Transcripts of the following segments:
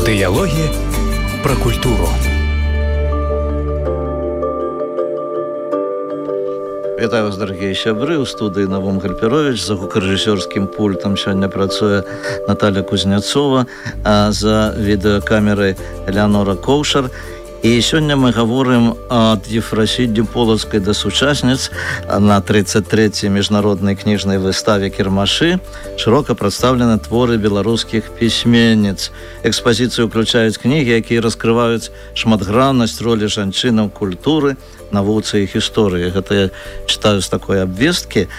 Дыялогі пра культуру. Вітаю вас, дарагія сябры. У студыі Навум Гальперович. За гукарэжысёрскім пультам сёння працуе Наталья Кузнецова, а за відэакамерай Элеонора Коўшар. І сёння мы гаворым ад Ефрасіддзі Полацкай да сучасніц на 33-й міжнароднай кніжнай выставе «Кірмашы» шырока прадстаўлены творы беларускіх пісьменніц. Экспазіцыю ўключаюць кнігі, якія раскрываюць шматграннасць ролі жанчынаў культуры, навуцы і гісторыі. Гэта я чытаю з такой абвесткі.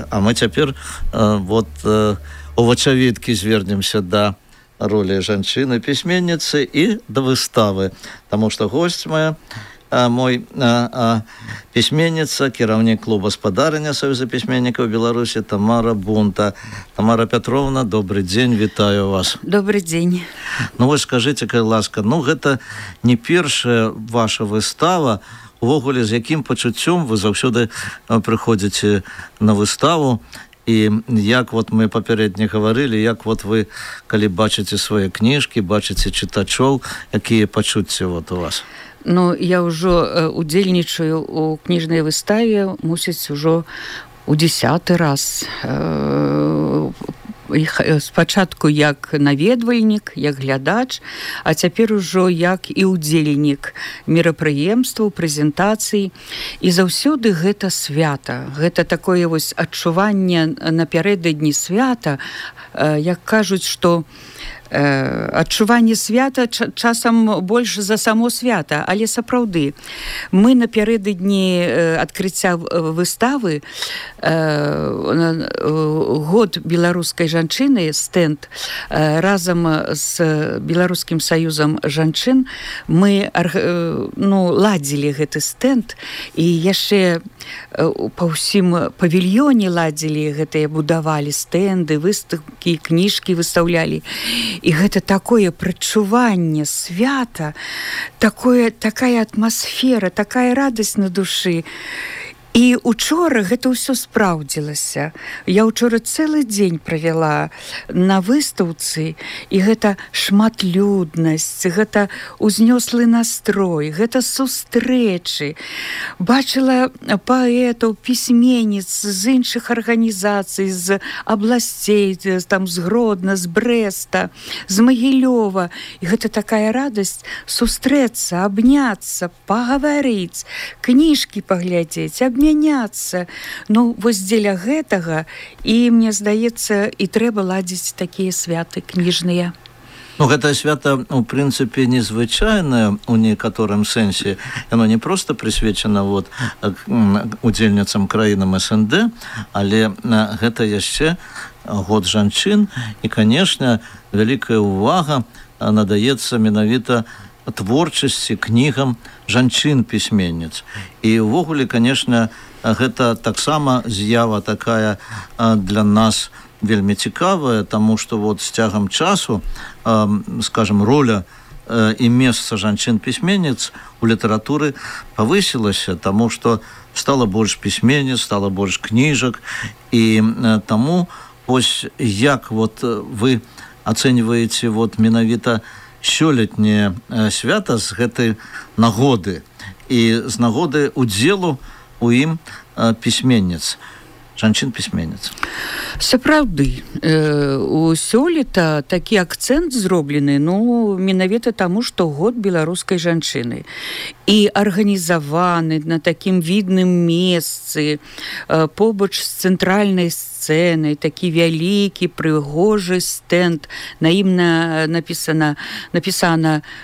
А мы цяпер у вачавіткі звернемся да роли жанчыны пісьменніцы і да выставы, таму што госць моя пісьменніца, кіраўнік клуба спадарня Саюза пісьменнікаў Беларусі Тамара Бунта. Тамара Пятровна, добрый дзень, вітаю вас. Добрый дзень. Ну вось скажыце, калі ласка, гэта не першая ваша выстава, увогуле з якім пачуццём вы заўсёды прыходзіце на выставу. І як мы папярэдне гаварылі, як вы, калі бачыце свае кніжкі, бачыце чытачоў, якія пачуцці у вас? Я ўжо удзельнічаю у кніжнай выставе, мусіць, ужо у 10-й раз. Спачатку як наведвальнік, як глядач, а цяпер ужо як і ўдзельнік мерапрыемстваў, прэзентацый. І заўсёды гэта свята. Гэта такое адчуванне напярэдадні свята, як кажуць, што адчуванне свята часам больш за само свята, але сапраўды мы напярэдадні адкрыцця выставы год беларускай жанчыны, стэнд, разам з Беларускім саюзам жанчын мы ладзілі гэты стэнд і яшчэ па ўсім павільёне ладзілі гэтыя, будавалі стэнды, выставкі, кніжкі выстаўлялі. І гэта такое прадчуванне свята, такая атмасфера, такая радасць на душы. І учора гэта ўсё спраўдзілася. Я ўчора цэлы дзень правяла на выстаўцы, і гэта шматлюднасць, гэта ўзнёслы настрой, гэта сустрэчы. Бачыла паэтаў, пісьменніц з іншых арганізацый, з абласцей, з Гродна, з Брэста, з Магілёва. І гэта такая радасць сустрэцца, абняцца, пагаварыць, кніжкі паглядзець, мяняцца. Вось дзеля гэтага і, мне здаецца, і трэба ладзіць такія святы кніжныя. Гэта свята, у прынцыпе, незвычайнае у некаторым сэнсе. Яно не проста прысвечана удзельніцам краінам СНД, але гэта яшчэ год жанчын. І, канешне, вялікая ўвага надаецца менавіта творчасці, кнігам жанчын-пісьменніц. І ўвогуле, канешне, гэта таксама з'ява такая для нас вельмі цікавая, таму што з цягам часу, скажем, роля і месца жанчын-пісьменніц у літаратуры павысілася, таму што стала больш пісьменніц, стала больш кніжак. І таму вось як вы ацэньваеце менавіта сёлетняе свята з гэтай нагоды і з нагоды удзелу у ім пісьменніц, жанчын-пісьменніц? Сапраўды, у сёлета такі акцэнт зроблены, менавіта таму, што год беларускай жанчыны. І арганізаваны на такім відным месцы, побач з цэнтральнай сцэнай, такі вялікі, прыгожы стэнд. На ім напісана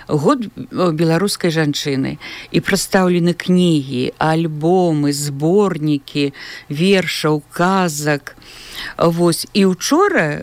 год беларускай жанчыны. І прадстаўлены кнігі, альбомы, зборнікі вершаў, казак. І учора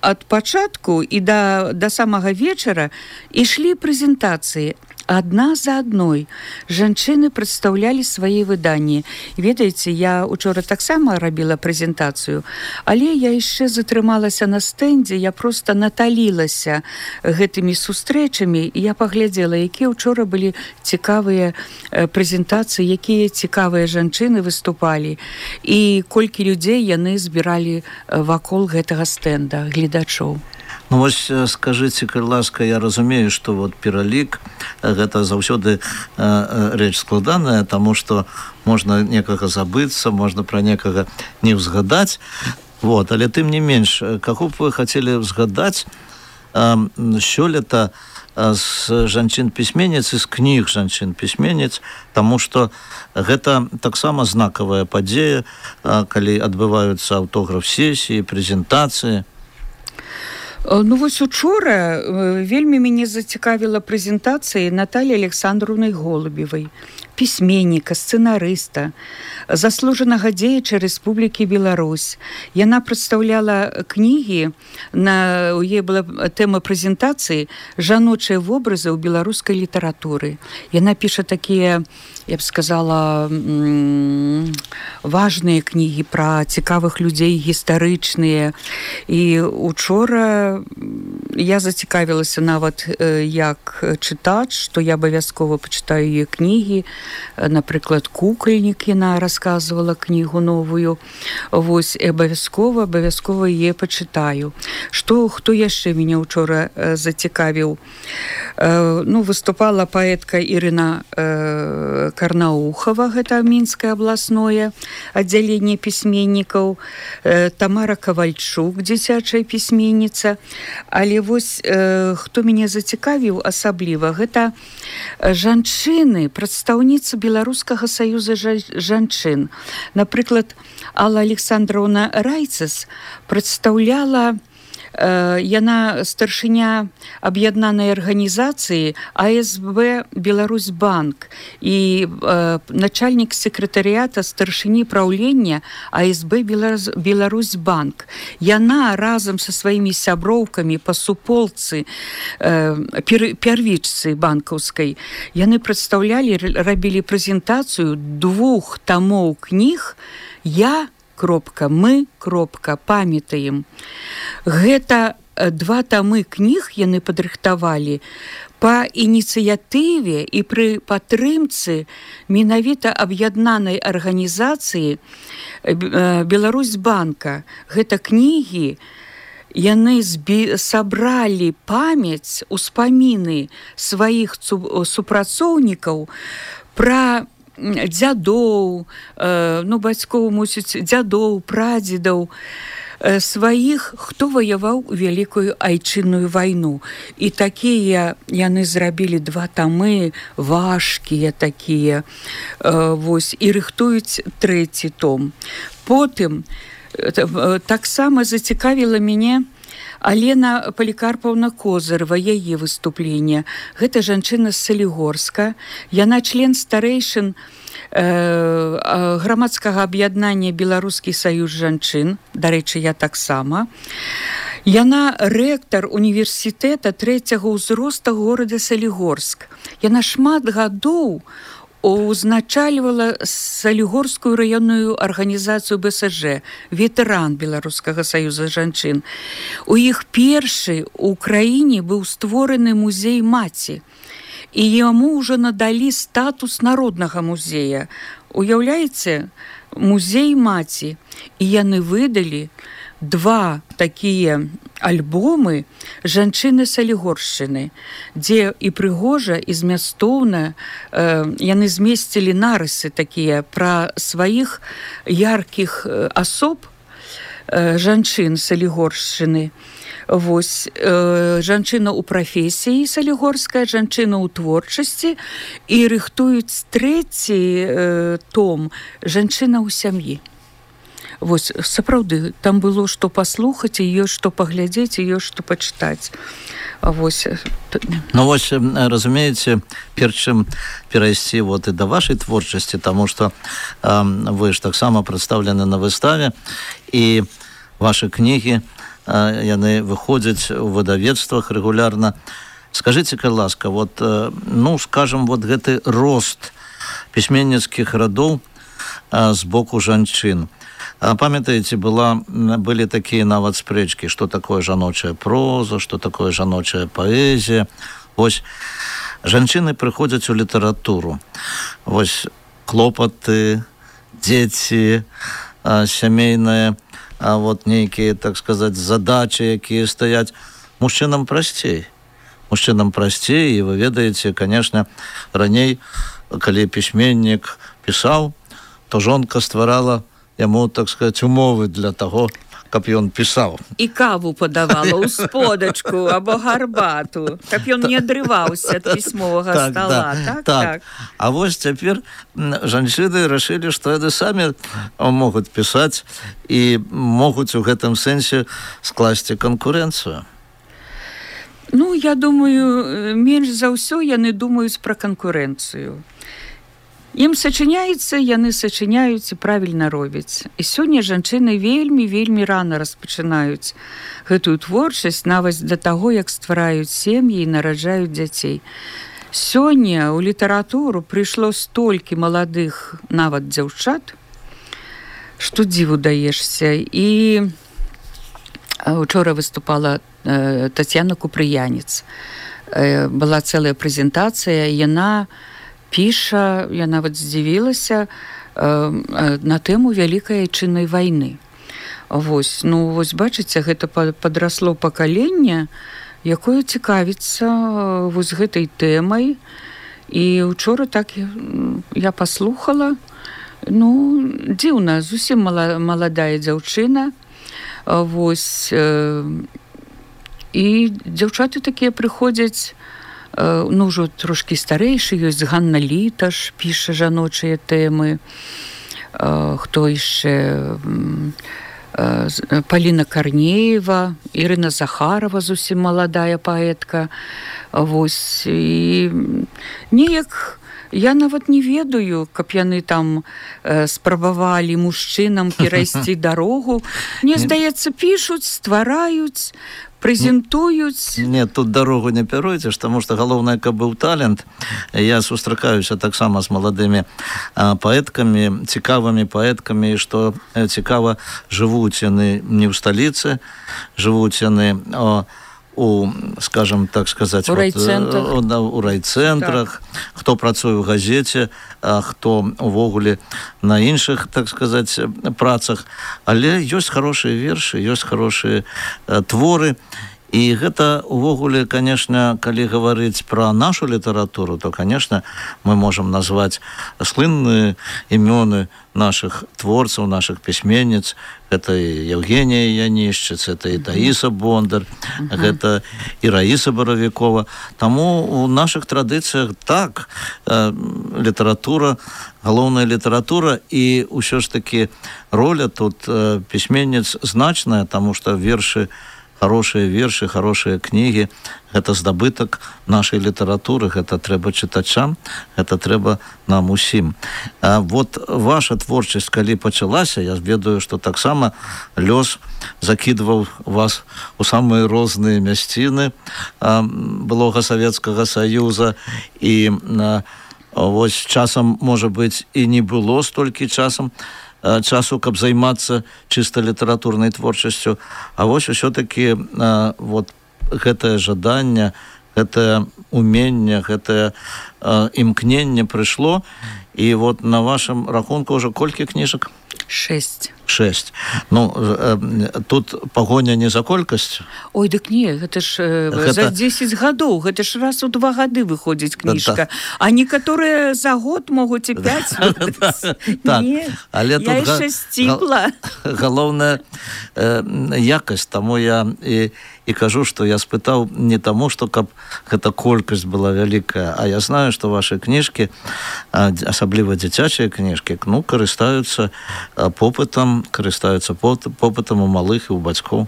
ад пачатку і да самага вечара ішлі прэзентацыі. Адна за адной жанчыны прадстаўлялі свае выданні. Ведаеце, я учора таксама рабіла прэзентацыю, але я яшчэ затрымалася на стэндзе, я проста наталілася гэтымі сустрэчамі, і я паглядзела, якія учора былі цікавыя прэзентацыі, якія цікавыя жанчыны выступалі, і колькі людзей яны збіралі вакол гэтага стэнда, гледачоў. Ну вось скажыце, калі ласка, я разумею, што вот пералік гэта заўсёды рэч складаная, таму што можна некага забыцца, можна пра некага не ўзгадаць. Вот, але тым не менш, каго б вы хацелі ўзгадаць сёлета з жанчын-пісьменніц і з кніг жанчын-пісьменніц, таму што гэта таксама знакавая падзея, калі адбываюцца аўтограф-сесіі, прэзентацыі. Ну вось учора вельмі мяне зацікавіла прэзентацыя Натальі Александровны Голубевай, пісьменніка, сцэнарыста, заслужанага дзеяча Рэспублікі Беларусь. Яна прадстаўляла кнігі, у яе была тэма прэзентацыі «Жаночыя вобразы ў беларускай літаратуры». Яна піша такія, я б сказала, важныя кнігі пра цікавых людзей, гістарычныя. І учора я зацікавілася нават як чытач, што я абавязкова пачытаю яе кнігі. Напрыклад, «Кукальнік» яна расказвала кнігу новую. Вось, абавязкова яе пачытаю. Хто яшчэ мяне учора зацікавіў? Ну, выступала паэтка Ірына Карнаухова, гэта Мінскае абласное аддзяленне пісьменнікаў, Тамара Кавальчук, дзіцячая пісьменніца. Але вось хто мяне зацікавіў асабліва, гэта жанчыны, прадстаўніцы Беларускага саюза жанчын. Напрыклад, Алла Александровна Райцес прадстаўляла, яна старшыня аб'яднанай арганізацыі АСБ Беларусьбанк і начальнік сакратарыята старшыні праўлення АСБ Беларусьбанк. Яна разам са сваімі сяброўкамі па суполцы первічцы банкаўскай, яны прадстаўлялі, рабілі прэзентацыю 2 тамоў кніг мы, памятаем. Гэта 2 тамы кніг яны падрыхтавалі па ініцыятыве і пры падтрымцы менавіта аб'яднанай арганізацыі Беларусьбанка. Гэта кнігі, яны сабралі памяць, успаміны сваіх супрацоўнікаў пра дзядоў, бацькоў, мусіць, дзядоў, прадзедаў, сваіх, хто ваяваў у Вялікую Айчынную вайну. І такія яны зрабілі 2 тамы, важкія такія, вось, і рыхтуюць 3 том. Потым таксама зацікавіла мяне Алена Палікарпаўна Козырава, яе выступленне. Гэта жанчына з Салігорска. Яна член старэйшын грамадскага аб'яднання Беларускі саюз жанчын. Дарэчы, я таксама. Яна рэктар універсітэта 3-го ўзроста горада Салігорск. Яна шмат гадоў узначальвала Салігорскую раённую арганізацыю БСЖ, ветэран Беларускага саюза жанчын. У іх першы ў краіне быў створаны музей маці, і яму ўжо надалі статус народнага музея. Уяўляеце, музей маці. І яны выдалі 2 такія альбомы жанчыны Салігоршчыны, дзе і прыгожа, і змястоўна яны змесцілі нарысы такія пра сваіх яркіх асоб жанчын Салігоршчыны. Вось, жанчына ў прафесіі салігорская, жанчына ў творчасці, і рыхтуюць 3 том «Жанчына ў сям'і». Вось, сапраўды, там было што паслухаць, і ёсць што паглядзець, і ёсць што пачытаць. Вось. Ну вось, разумееце, перш чым перайсці вот і да вашай творчасці, таму што вы ж таксама прадстаўлены на выставе, і вашы кнігі, яны выходзяць у выдавецтвах рэгулярна. Скажыце, калі ласка, вот, ну, скажам, вот гэты рост пісьменніцкіх радоў з боку жанчын. Памятаеце, былі такія нават спрэчкі, што такое жаночая проза, што такое жаночая паэзія. Вось, жанчыны прыходзяць у літаратуру. Вось, клопаты, дзеці, сямейныя, вот нейкія, так сказаць, задачы, якія стаяць. мужчынам прасцей. Мужчынам прасцей, і вы ведаеце, конечно, раней, калі пісьменнік пісаў, то жонка стварала яму, так сказать, умовы для таго, каб ён пісаў. І каву падавала ў сподачку або гарбату, каб ён не адрываўся ад пісьмовага стола. Так. А вось цяпер жанчыны рашылі, што яны самі могуць пісаць і могуць у гэтым сэнсе скласці канкурэнцыю. Ну, я думаю, менш за ўсё яны думаюць пра канкурэнцыю. Ім сачыняецца, яны сачыняюць і правільна робяць. І сёння жанчыны вельмі рана распачынаюць гэтую творчасць, нават да таго, як ствараюць сем'і і нараджаюць дзяцей. Сёння ў літаратуру прыйшло столькі маладых нават дзяўчат, што дзіву даешся. І учора выступала Тацьяна Купрыянец. Была цэлая прэзентацыя, яна піша, я нават здзівілася на тэму вялікай айчыннай вайны. Вось, бачыце, гэта падрасло пакаленне, якое цікавіцца вось гэтай тэмай. І учора так я паслухала, дзіўна, зусім маладая дзяўчына. Вось, і дзяўчаты такія прыходзяць, ўжо трошкі старэйшы, ёсць Ганна Літаш, піша жаночыя тэмы, хто яшчэ, Паліна Карнеева, Ірына Захарова, зусім маладая паэтка. Вось, і неяк я нават не ведаю, каб яны там спрабавалі мужчынам перайсці дарогу. Мне здаецца, пішуць, ствараюць, прэзентуюць. Не, тут дарогу не пяруйце, таму што галоўнае, каб быў талент. Я сустракаюся таксама з маладымі паэткамі, цікавымі паэткамі, што цікава, жывуць яны не ў сталіцы, жывуць яны скажем так сказаць, у райцэнтрах, хто працуе ў газеце, хто увогуле на іншых, так сказаць, працах. Але ёсць хорошыя вершы, ёсць хорошыя творы. І гэта увогуле, конечно, калі гаварыць пра нашу літаратуру, то, конечно, мы можам назваць слынныя імёны нашых творцаў, нашых пісьменніц. Гэта і Евгенія Янішчыц, гэта і Таіса Бондар, гэта і Раіса Баравікова. Таму у нашых традыцыях так, літаратура, галоўная літаратура, і ўсё ж такі роля тут пісьменніц значная, таму што хорошие вершы, хорошие кнігі, гэта здабытак нашай літаратуры, гэта трэба чытачам, гэта трэба нам усім. Вот ваша творчасць, калі пачалася, я ведаю, што таксама лёс закідваў вас у самыя розныя мясціны былога Савецкага Саюза, і вось часам, можа быць, і не было столькі часу, каб займацца чыста літаратурнай творчасцю, а вось усё-такі вот гэтае жаданне, гэтае уменне, гэтае імкненне прыйшло, і вот на вашым рахунку ўжо колькі кніжак? 6. Тут пагоня не за колькасць? Ой, дык не, гэта ж за 10 гадоў, гэта ж раз у 2 гады выходзіць кніжка. А некаторыя за год могуць і 5 выдаць. Не, я яшчэ сціпла. Галоўная якасць, таму я і кажу, што я спытаў не таму, што каб гэта колькасць была вялікая, а я знаю, што вашы кніжкі, асабліва дзіцячыя кніжкі, карыстаюцца попытам у малых і у бацькоў.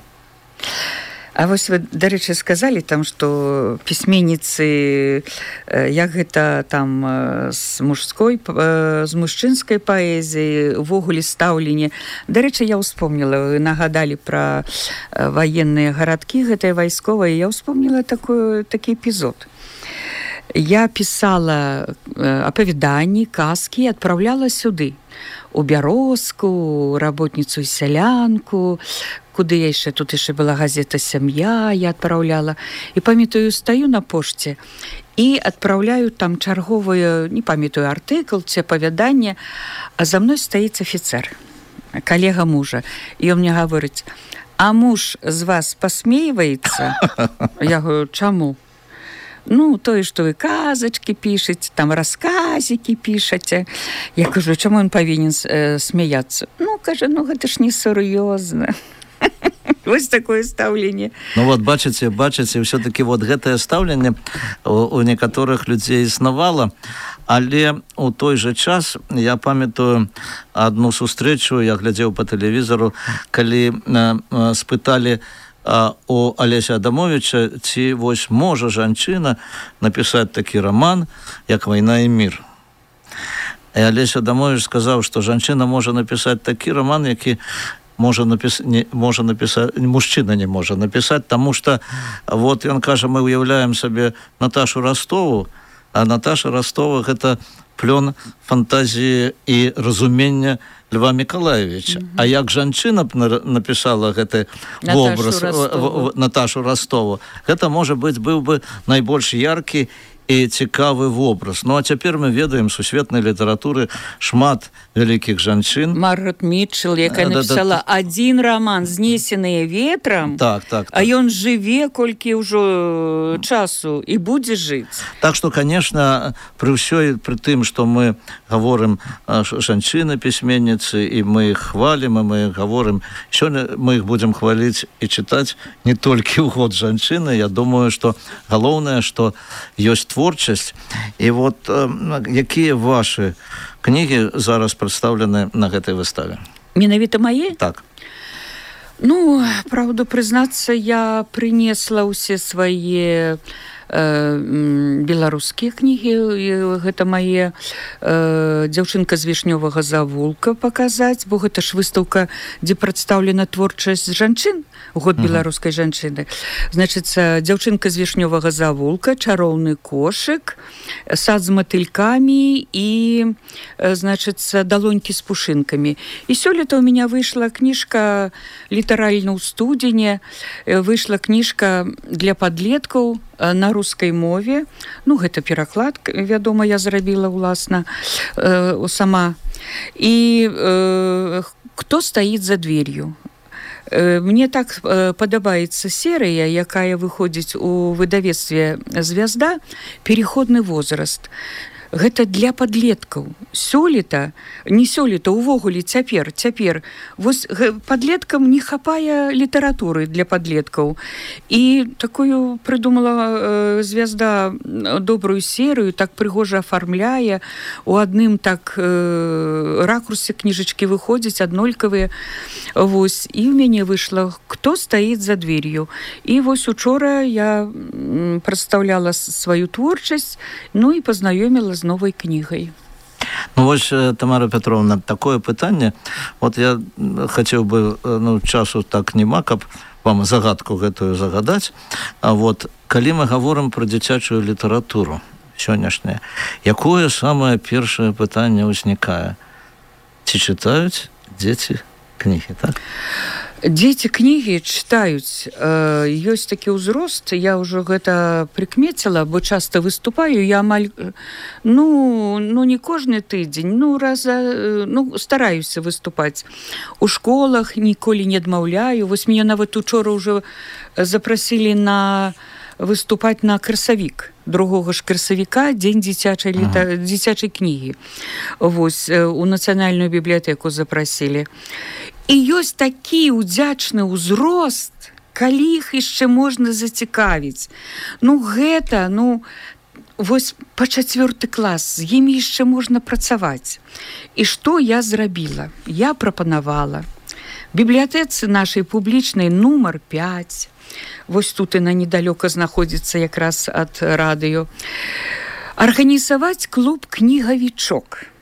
А вось вы, дарэчы, сказалі там, што пісьменніцы, як гэта там з мужчынскай паэзіі, увогуле стаўленне. Дарэчы, я ўспомніла, вы нагадалі пра ваенныя гарадкі, гэтыя вайсковыя, я ўспомніла такі эпізод. Я пісала апавяданні, казкі, адпраўляла сюды, у Бярозку, работніцу і сялянку, куды я яшчэ, тут яшчэ была газета «Сям'я», я адпраўляла. І памятаю, стаю на пошце і адпраўляю там чарговую, не памятаю, артыкл ці апавяданне, а за мной стаіць афіцэр, калега мужа. І ён мне гаворыць: а муж з вас посмеивается? Я говорю, чему? Ну, то, что вы казочки пишете, там рассказики пишете. Я кажу, чему он повинен смеяться? Ну, кажу, ну, это ж не серьезно. Вось такое стаўленне. Ну вот бачыце, все-таки вот гэтае стаўленне у некаторых людзей існавала, але у той же час я памятаю одну сустрэчу, я глядзеў по тэлевізору, калі спыталі у Алеся Адамовича, ці вось можа жанчына напісаць такі раман, як «Вайна і мір». І Алесь Адамович сказаў, што жанчына можа напісаць такі раман, які мужчына не можа напісаць, таму што вот ён кажа, мы уяўляем сабе Наташу Ростову, а Наташа Ростова гэта плён фантазіі і разумення Льва Миколаевича. А як жанчына напісала гэты вобраз Наташу Ростову, гэта, можа быць, быў бы найбольш яркі і цікавы вобраз. Ну, а цяпер мы ведаем сусветнай літаратуры шмат вялікіх жанчын. Маргарет Мітчелл, якая напісала один роман «Знесеныя ветрам», так. А ён жыве колькі ўжо часу і будзе жыць. Так што, конечно, пры тым, што мы гаворым жанчыны-пісьменніцы, і мы іх хвалім, і мы іх гаворым, сёння мы іх будзем хваліць і чытаць не толькі ў год жанчыны. Я думаю, што галоўнае, што ёсць творчасць. І вот якія ваши кнігі зараз прадстаўлены на гэтай выставе? Менавіта мае? Так. Ну, правду прызнацца, я прынесла ўсе свае беларускія кнігі. Гэта мае «Дзяўчынка з вішнёвага завулка» паказаць, бо гэта ж выстаўка, дзе прадстаўлена творчасць жанчын, год беларускай жанчыны. Значыцца, «Дзяўчынка з вішнёвага завулка», «Чароўны кошык», «Сад з матылькамі» і, значыцца, «Далонькі з пушынкамі». І сёлета ў меня выйшла кніжка літаральна ў студзені, выйшла кніжка для падлеткаў на рускай мове. Ну, гэта пераклад, вядома, я зрабіла ўласна сама. І «Кто стоит за дверью». Мне так падабаецца серыя, якая выходзіць у выдавецтве «Звязда», «Переходны возраст». Гэта для падлеткаў. Сёлета, не сёлета, увогуле цяпер. Вось падлеткам не хапае літаратуры для падлеткаў. І такую прыдумала «Звязда» добрую серыю, так прыгожа афармляе. У адным так ракурсе кніжачкі выходзяць аднолькавыя. Вось. І ў мяне выйшла «Кто стоит за дверью». І вось учора я прадстаўляла сваю творчасць, ну і пазнаёміла з новой кнігай. Ну, вось, Тамара Петровна, такое пытанне. Вот я хацеў бы, часу так нема, каб вам загадку гэтую загадаць. А вот, калі мы гаворым пра дзіцячую літаратуру сённяшняе, якое самае першае пытанне ўзнікае? Ці чытаюць дзеці кнігі, так? Дзеці кнігі чытаюць. Ёсць такі ўзрост, я ўжо гэта прыкмеціла, бо часта выступаю, я амаль, не кожны тыдзень, стараюся выступаць. У школах ніколі не адмаўляю. Вось мяне нават учора ўжо запрасілі выступаць на красавік. 2 ж красавіка, дзень дзіцячай кнігі. Вось, у нацыянальную бібліятэку запрасілі. І ёсць такі ўдзячны ўзрост, калі іх яшчэ можна зацікавіць. Гэта, вось па 4 клас, з імі яшчэ можна працаваць. І што я зрабіла? Я прапанавала бібліятэцы нашай публічнай нумар 5, вось тут яна недалёка знаходзіцца якраз ад радыё, арганізаваць клуб «Кнігавічок».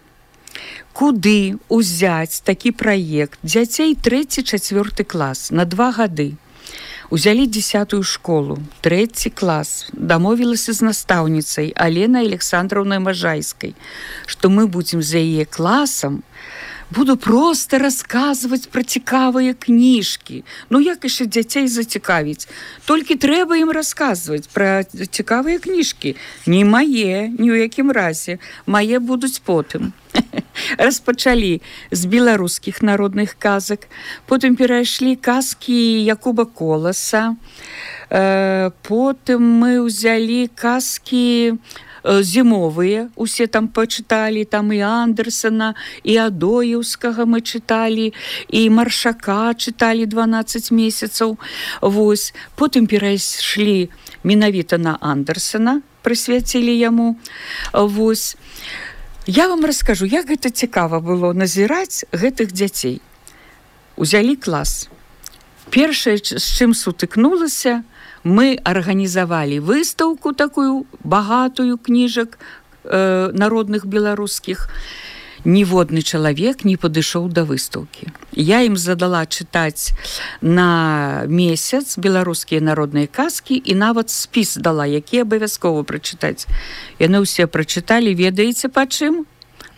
Куды ўзяць такі праект дзяцей 3-4 клас на 2 гады. Узялі 10-ю школу, 3 клас, дамовілася з настаўніцай Аленай Александраўнай Можайскай, што мы будзем за яе класам, буду проста расказваць пра цікавыя кніжкі. Як яшчэ дзяцей зацікавіць? Толькі трэба ім расказваць пра цікавыя кніжкі. Не мае, ні ў якім разе. Мае будуць потым. распачалі з беларускіх народных казак, потым перайшлі казкі Якуба Коласа, потым мы ўзялі казкі зімовыя, усе там пачыталі, там і Андерсена, і Адоеўскага мы чыталі, і Маршака чыталі 12 месяцаў. Вось. Потым перайшлі менавіта на Андерсена, прысвяцілі яму. Вось. Я вам раскажу, як гэта цікава было назіраць гэтых дзяцей. Узялі клас. Першае, з чым сутыкнулася, мы арганізавалі выстаўку такую багатую кніжак народных беларускіх. Ніводны чалавек не падышоў да выстаўкі. Я ім задала чытаць на месяц беларускія народныя казкі і нават спіс дала, які абавязкова прачытаць. Яны ўсе прачыталі, ведаеце па чым?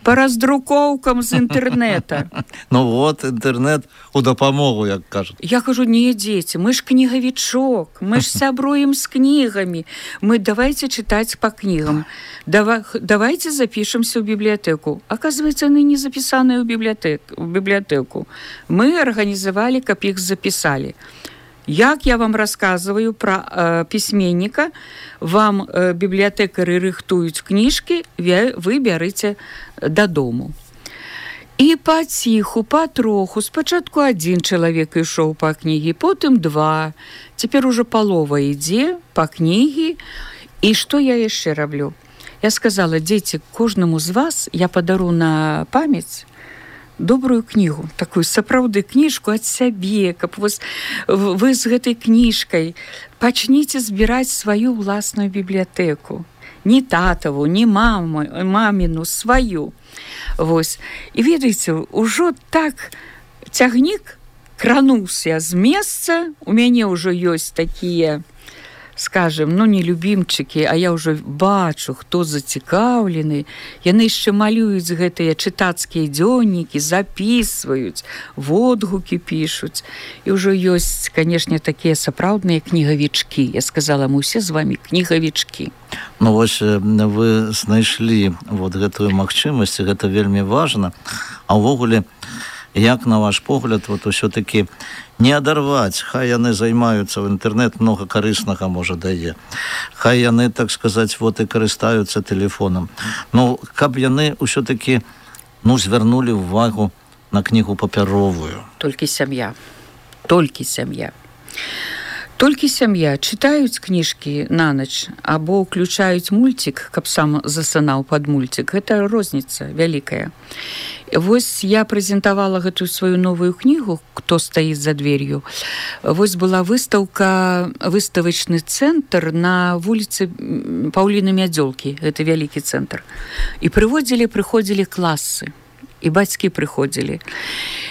По раздрукоўкам з інтэрнэта. Ну вот, інтэрнэт у дапамогу, як кажуць. Я кажу, не, дзеці, мы ж кнігавічок, мы ж сябруем з кнігамі. Мы давайте чытаць па кнігам. Давайте запішемся ў бібліятэку. Оказывается, яны не запісаныя ў бібліятэку. Мы арганізавалі, каб іх запісалі. Як я вам рассказываю про пісьменніка, вам бібліятэкары рыхтуюць кніжкі, вы бярыце дадому. І паціху, патроху, спачатку адзін чалавек ішоў па кнігі, потым два, цяпер ужо палова ідзе па кнігі. І што я яшчэ раблю? Я сказала, дзеці, кожнаму з вас я падару на памяць добрую кнігу, такую сапраўды кніжку ад сябе, каб вы з гэтай кніжкай пачніце збіраць сваю ўласную бібліятэку. Не татаву, не маміну, сваю. Вось. І ведаеце, ужо так цягнік крануўся з месца, у мяне ўжо ёсць такія, скажем, ну не любімчыкі, а я ўжо бачу, хто зацікаўлены. Яны яшчэ малююць гэтыя чытацкія дзённікі, запісваюць, водгукі пішуць. І ўжо ёсць, канешне, такія сапраўдныя кнігавічкі. Я сказала, мы ўсе з вами кнігавічкі. Ну вось вы знайшлі вот гэтую магчымасць, гэта вельмі важна. А ўвогуле, як на ваш погляд, вот усё-таки не адарваць, хай яны займаюцца в інтэрнэт, много карыснага можа дае. Хай яны, так сказаць, вот і карыстаюцца тэлефонам. Ну, каб яны ўсё-таки, ну, звярнулі ўвагу на кнігу папяровую. Толькі сям'я. Толькі сям'я. Толькі сям'я чытаюць кніжкі на ноч або ўключаюць мульцік, каб сам засынаў пад мульцік. Гэта розніца вялікая. Вось я прэзентавала гэтую сваю новую кнігу «Кто стоит за дверью». Вось была выстаўка, выставачны цэнтр на вуліцы Паўліны Мядзёлкі. Гэта вялікі цэнтр. І прыходзілі класы. І бацькі прыходзілі.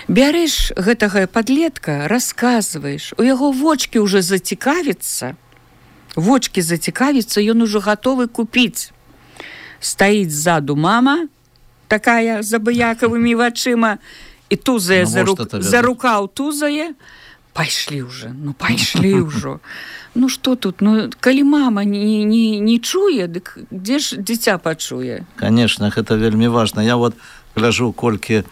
Бярэш гэтага падлетка, расказваеш, у яго вочкі ўжо зацікавіцца, ён ужо гатовы купіць. Стаіць ззаду мама, такая з абыякавымі вачыма, і тузае за рукаў тузае. Пайшлі ўжо. Ну што тут? Ну, калі мама не чуе, дык дзе ж дзіця пачуе? Конечно, гэта вельмі важна. Я вот гляжу, колькі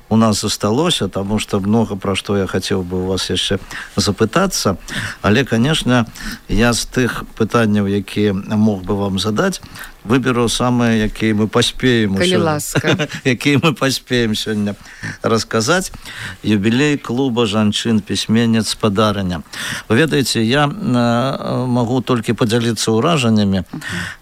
у нас засталося, тому что много про што я хацеў бы у вас яшчэ запытацца. Але, конечно, я з тых пытанняў, якія мог бы вам задаць, выберу самыя, якія мы паспеем якія мы паспеем сёння расказаць. Юбілей клуба жанчын-пісьменніц спадарыня. Вы ведаеце, я магу толькі падзяліцца ўражаннямі,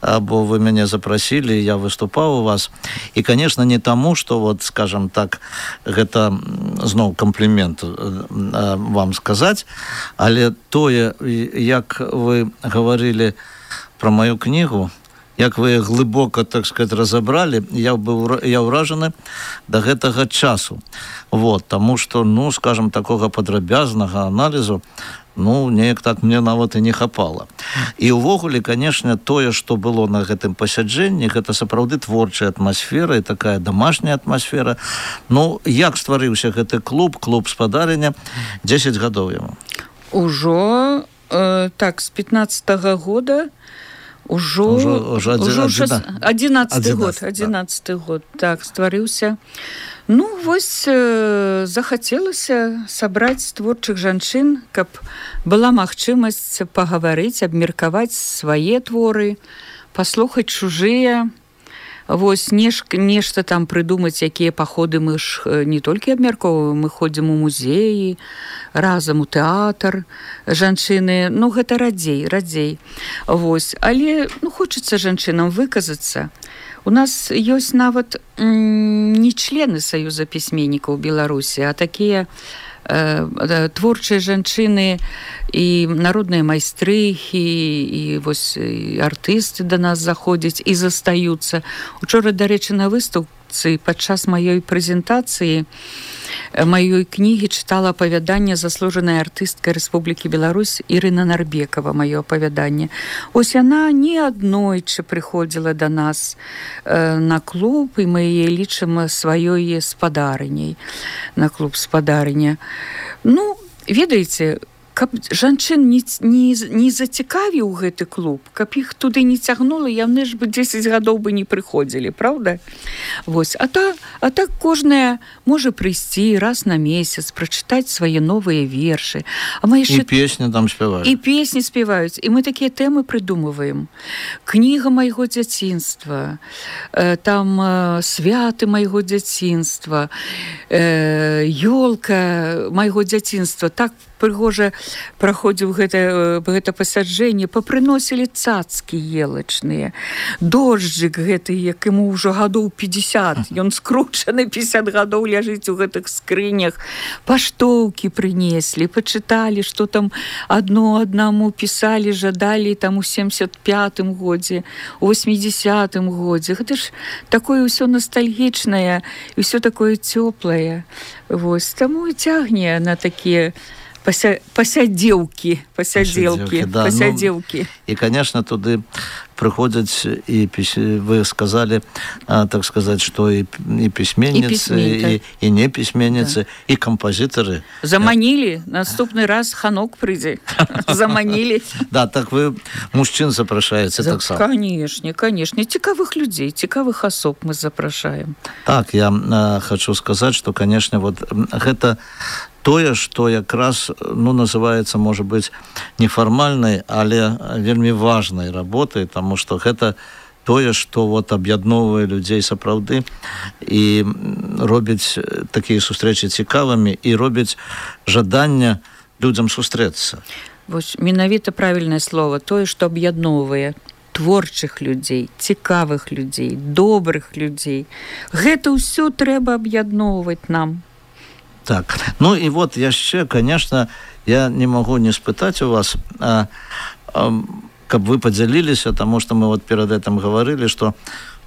або вы мяне запрасілі, я выступаў у вас. І, конечно, не таму, што, вот, скажем так, гэта зноў комплімент вам сказаць, але тое, як вы гаварылі пра маю кнігу, як вы глыбока, так сказать, разабралі, я ўражаны да гэтага часу. Вот, таму што, ну, скажем, такога падрабязнага аналізу, ну, неяк так мне нават і не хапала. І ўвогуле, конечно, тое, што было на гэтым пасяджэнні, гэта сапраўды творчая атмасфера і такая домашняя атмасфера. Ну, як стварыўся гэты клуб спадарыня, 10 гадоў яму? Ужо, так, з 15-го года Ужо 11 год, так, стварыўся. Ну, вось захацелася сабраць творчых жанчын, каб была магчымасць пагаварыць, абмеркаваць свае творы, паслухаць чужыя, вось нешта там прыдумаць, якія паходы. Мы ж не толькі абмяркоўваем, мы ходзім у музеі, разам у тэатр, жанчыны, ну гэта радзей. Вось, але хочацца жанчынам выказацца. У нас ёсць нават не члены Саюза пісьменнікаў Беларусі, а такія творчыя жанчыны і народныя майстрыхі, і вось і артысты да нас заходзяць і застаюцца. Учора, дарэчы, на выстаўцы падчас маёй прэзентацыі маёй кнігі чытала апавяданне заслужанай артысткай Рэспублікі Беларусь Ірына Нарбекова, маё апавяданне. Ось яна не аднойчы прыходзіла да нас на клуб, і мы яе лічым сваёй спадарыняй, на клуб спадарыня. Ну, ведаеце, каб жанчын не зацікавіў гэты клуб, каб іх туды не цягнула, яны ж бы 10 гадоў бы не прыходзілі, правда? Вось. А так кожная можа прыйсці раз на месяц, прачытаць свае новыя вершы. І песні там спяваюць. І песні спяваюць. І мы такія тэмы прыдумываем. Кніга майго дзяцінства, там святы майго дзяцінства, ёлка майго дзяцінства. Так прыгожа праходзіў гэта пасяджэнне, папрыносілі цацкі елачныя, дожджык гэты, як яму ўжо гадоў 50, ён скручаны 50 гадоў ляжыць у гэтых скрынях, паштоўкі прынеслі, пачыталі, што там аднаму пісалі, жадалі там у 75-м годзе, у 80-м годзе. Гэта ж такое ўсё ностальгічнае, і ўсё такое цёплае. Вось, таму і цягне на такія пасядзелкі. І, конечно, туды прыходзяць і вы сказали, так сказать, што і пісьменніцы, і не пісьменніцы, і кампазітары. Заманілі, наступны раз Ханок прыйдзе. Заманілі. Да, так вы мужчын запрашаеце таксама. Конечно. Цікавых людзей, цікавых асоб мы запрашаем. Так, я хочу сказаць, што, конечно, вот гэта тое, што якраз, называецца, можа быць, нефармальнай, але вельмі важнай работай, таму што гэта тое, што вот аб'ядноўвае людзей сапраўды і робіць такія сустрэчы цікавымі і робіць жаданне людзям сустрэцца. Вось менавіта правільнае слово, тое, што аб'ядноўвае творчых людзей, цікавых людзей, добрых людзей. Гэта ўсё трэба аб'ядноўваць нам. Так, ну і вот яшчэ, конечно, я не могу не спытаць у вас, каб вы подзяліліся, таму што мы вот перад этим говорили, што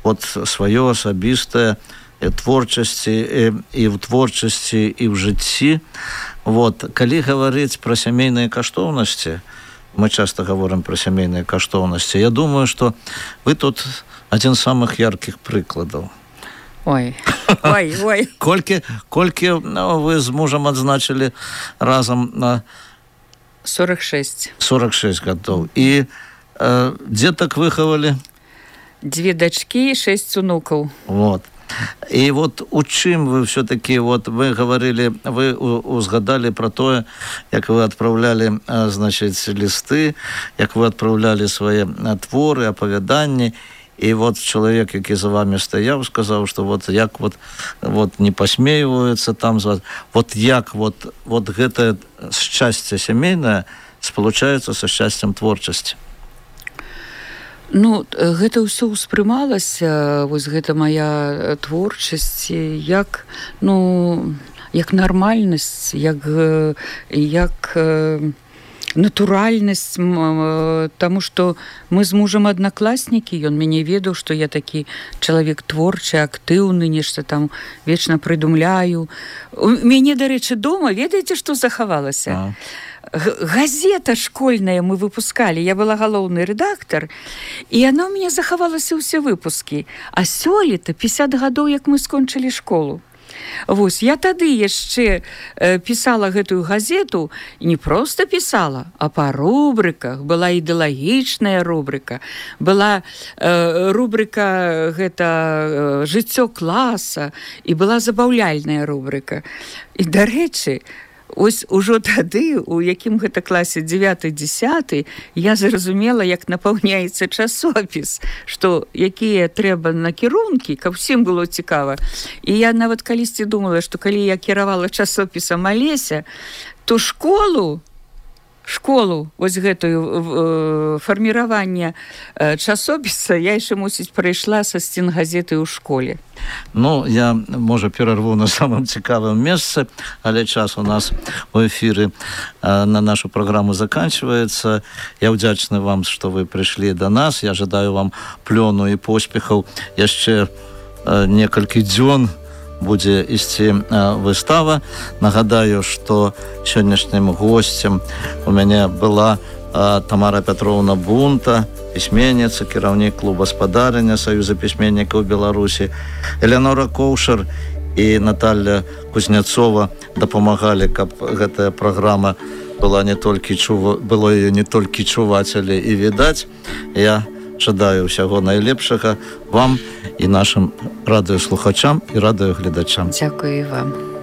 вот сваё асабістае творчасці і ў творчасці, і ў жыцці. Вот, калі гаварыць пра сямейныя каштоўнасці, мы часто говорим про сямейныя каштоўнасці, я думаю, што вы тут адзін з самых яркіх прыкладаў. Ой. Колькі вы з мужам адзначылі разам на 46 гадоў. І дзетак выхавалі? 2 дачкі, 6 унукаў. Вот. І вот у чым вы все-таки, вот вы говорили, вы узгадали про тое, як вы адпраўлялі, значит, лісты, як вы адпраўлялі свае творы, апавяданні. І вот чалавек, які за вами стаяў, сказаў, што вот як вот не пасмейваюцца там, вот як вот гэтае шчасце сямейнае спалучаецца са шчасцем творчасці. Ну, гэта ўсё ўспрымалася, вось гэта моя творчасць, як нармальнасць, як натуральнасць, таму што мы з мужам аднакласнікі, ён мяне ведаў, што я такі чалавек творчы, актыўны, нешта там вечна прыдумляю. У мяне, дарэчы, дома, ведаеце, што захавалася? Газета школьная мы выпускалі, я была галоўны рэдактар, і яна ў мяне захавалася ўсе выпускі. А сёлета 50 гадоў, як мы скончылі школу. Вось, я тады яшчэ пісала гэтую газету, і не проста пісала, а па рубрыках. Была ідэалагічная рубрыка, была рубрыка гэта «Жыццё класа», і была забаўляльная рубрыка. І, дарэчы, ось ужо тады, у якім гэта класе 9-10, я зразумела, як напаўняецца часопіс, што якія трэба накірункі, каб усім было цікава. І я нават калісьці думала, што калі я кіравала часопісам Алеся, то школу, вось гэтую фарміраванне часопіса я яшчэ, мусіць, прайшла са стенгазеты ў школе. Ну, я, можа, перарву на самым цікавым месцы, але час у нас у эфіры на нашу праграму заканчивается. Я ўдзячны вам, што вы прыйшлі да нас. Я жадаю вам плёну і поспехаў. Яшчэ некалькі дзён будзе ісці выстава. Нагадаю, што сённяшнім госцем у мяне была Тамара Пятровна Бунта, пісьменніца, кіраўнік клуба «Спадарня» Саюза пісьменнікаў Беларусі. Элеонора Коўшар і Наталья Кузнецова дапамагалі, каб гэтая праграма было ее не толькі чуваць, але і відаць. Я жадаю ўсяго найлепшага вам і нашым радыёслухачам і радыёгледачам. Дзякую вам.